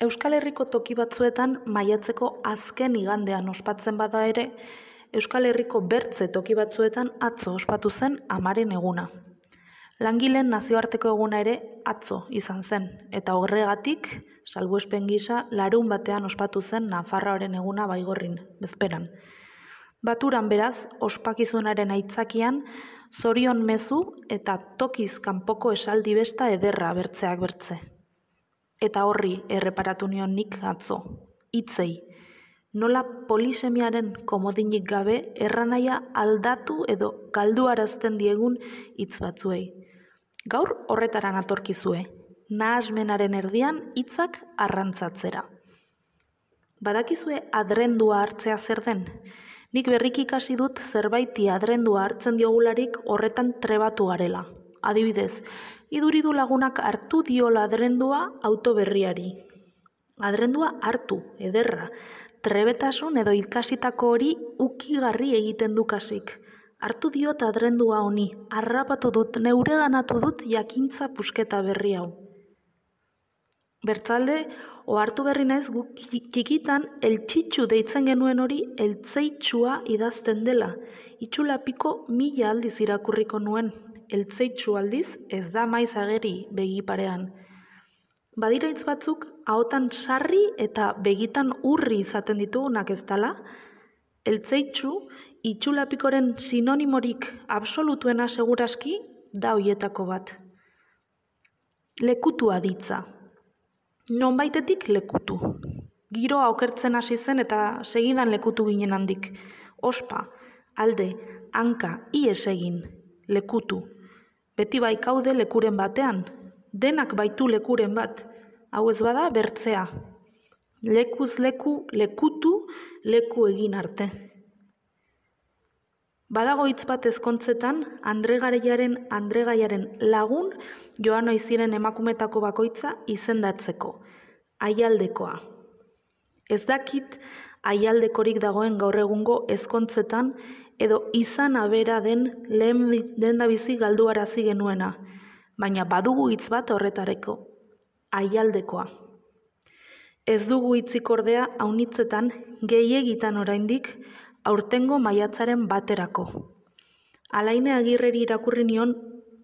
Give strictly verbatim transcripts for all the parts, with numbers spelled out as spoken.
Euskal Herriko toki batzuetan maiatzeko azken igandean ospatzen bada ere, Euskal Herriko bertze toki batzuetan atzo ospatu zen amaren eguna. Langileen nazioarteko eguna ere atzo izan zen, eta horregatik, salbuespen gisa, larun batean ospatu zen Nafarroaren eguna Baigorrin, bezperan. Baturan beraz, ospakizunaren aitzakian, zorion mezu eta tokiz kanpoko esaldi besta ederra bertzeak bertze. Eta horri erreparatu nion nik atzo, hitzei, nola polisemiaren komodinik gabe erranaia aldatu edo galduarazten diegun hitz batzuei. Gaur horretara natorkizue, nahasmenaren erdian hitzak arrantzatzera. Badakizue adrendua hartzea zer den? Nik berriki ikasi dut zerbaiti adrendua hartzen diogularik horretan trebatu garela. Adibidez, iduridu lagunak hartu diola adrendua auto berriari. Adrendua hartu, ederra, trebetasun edo ikasitako hori ukigarri egiten du kasik. Hartu diot adrendua honi, harrapatu dut, neureganatu dut jakintza pusketa berri hau. Bertzalde, ohartu berri naiz guk txikitan eltsitsu deitzen genuen hori eltzeitsua idazten dela. Itxulapiko mila aldiz irakurriko nuen. Eltzeitsu aldiz ez da maiz ageri begi parean. Badira hitz batzuk ahotan sarri eta begitan urri izaten ditugunak ez dala? Eltzeitsu itxulapikoren sinonimorik absolutuena seguraski da hoietako bat. Lekutua ditza. Nonbaitetik lekutu. Giroa okertzen hasi zen eta segidan lekutu ginen handik. Ospa, alde, hanka, ies egin, lekutu. Beti bai kaude lekuren batean, denak baitu lekuren bat, hau ez bada bertzea. Lekuz leku, lekutu, leku egin arte. Badago hitz bat ezkontzetan, Andregaiaren Andregaiaren lagun joan ohi ziren emakumetako bakoitza izendatzeko, aialdekoa. Ez dakit aialdekorik dagoen gaur egungo ezkontzetan edo izan abera den lehen dendabizi galduarazi genuena, baina badugu hitz bat horretareko, aialdekoa. Ez dugu hitzik ordea aunitzetan gehiegitan oraindik aurtengo maiatzaren baterako. Alaine Agirreri irakurri nion,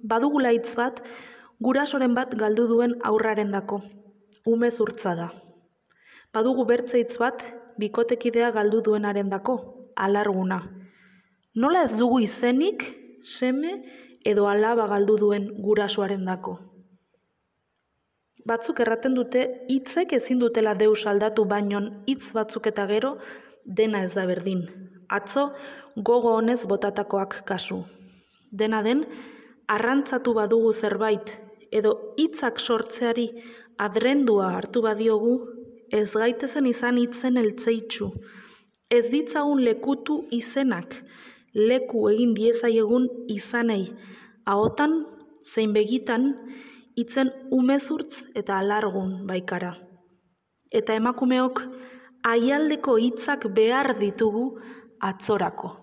badugula hitz bat, gurasoren bat galdu duen aurrarendako, ume zurtza da. Badugu bertze hitz bat, bikotekidea galdu duenarendako, alarguna. Nola ez dugu izenik, seme edo alaba galdu duen gurasoarendako? Batzuk erraten dute hitzek ezin dutela deus aldatu bainon hitz batzuk eta gero dena ez da berdin. Atzo gogo honez botatakoak kasu. Dena den, arrantzatu badugu zerbait edo hitzak sortzeari adrendua hartu badiogu, ez gaitezen izan hitzen eltzeitsu. Ez ditzagun lekutu izenak, leku egin diezaiegun izanei, ahotan zein begitan hitzen umezurtz eta alargun baikara. Eta emakumeok aialdeko hitzak behar ditugu atzorako.